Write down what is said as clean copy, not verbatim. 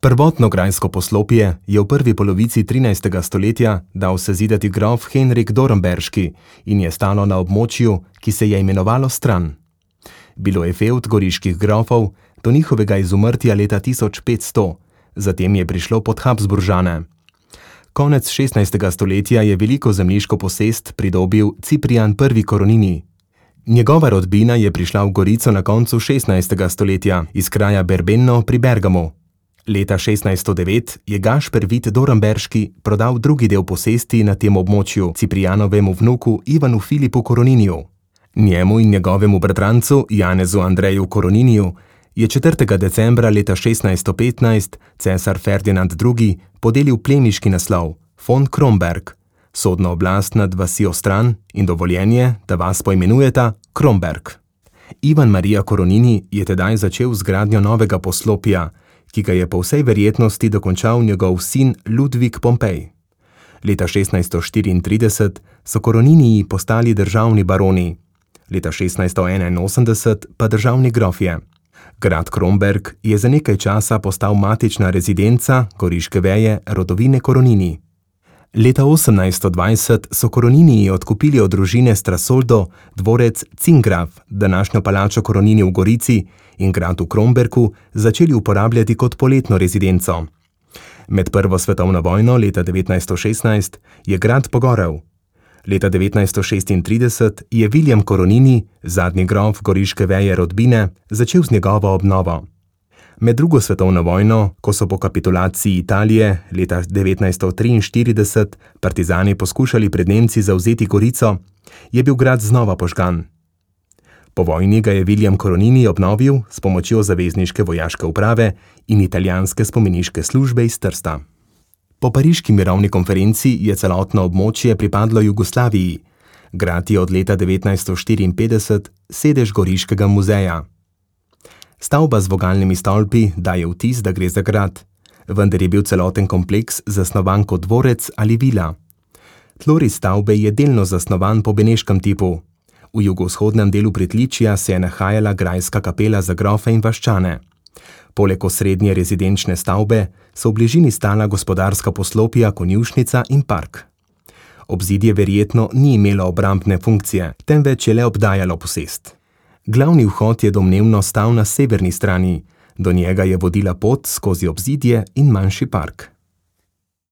Prvotno grajsko poslopje je v prvi polovici 13. stoletja dal sezidati grof Henrik Dornberški in je stalo na območju, ki se je imenovalo Stran. Bilo je fevd goriških grofov do njihovega izumrtja leta 1500, zatem je prišlo pod Habsburžane. Konec 16. stoletja je veliko zemljiško posest pridobil Ciprian I. Coronini. Njegova rodbina je prišla v Gorico na koncu 16. stoletja iz kraja Berbenno pri Bergamu. Leta 1609 je Gašper Vid Dornberški prodal drugi del posesti na tem območju Ciprianovemu vnuku Ivanu Filipu Coroniniju. Njemu in njegovemu bratrancu Janezu Andreju Coroniniju je 4. decembra leta 1615 cesar Ferdinand II. Podelil plemiški naslov von Kromberg, sodno oblast nad vasjo Stran in dovoljenje, da vas poimenujeta Kromberg. Ivan Marija Coronini je tedaj začel z gradnjo novega poslopja, ki ga je po vsej verjetnosti dokončal njegov sin Ludvik Pompej. Leta 1634 so Coroniniji postali državni baroni, leta 1681 pa državni grofje. Grad Kromberg je za nekaj časa postal matična rezidenca goriške veje rodovine Coronini. Leta 1820 so Coroniniji odkupili od družine Strasoldo dvorec Cingraf, današnjo palačo Coronini v Gorici, in grad v Krombergu začeli uporabljati kot poletno rezidenco. Med prvo svetovno vojno leta 1916 je grad pogorel. Leta 1936 je William Coronini, zadnji grof goriške veje rodbine, začel z njegovo obnovo. Med drugo svetovno vojno, ko so po kapitulaciji Italije leta 1943 partizani poskušali pred Nemci zavzeti Gorico, je bil grad znova požgan. Po vojni ga je William Coronini obnovil s pomočjo zavezniške vojaške uprave in italijanske spomeniške službe iz Trsta. Po pariški mirovni konferenci je celotno območje pripadlo Jugoslaviji. Grad je od leta 1954 sedež Goriškega muzeja. Stavba z vogalnimi stolpi daje vtis, da gre za grad, vendar je bil celoten kompleks zasnovan kot dvorec ali vila. Tloris stavbe je delno zasnovan po beneškem tipu. V jugovzhodnem delu pritličja se je nahajala grajska kapela za grofe in vaščane. Poleg osrednje rezidenčne stavbe so v bližini stala gospodarska poslopja, konjušnica in park. Obzidje verjetno ni imelo obrambne funkcije, temveč je le obdajalo posest. Glavni vhod je domnevno stal na severni strani, do njega je vodila pot skozi obzidje in manjši park.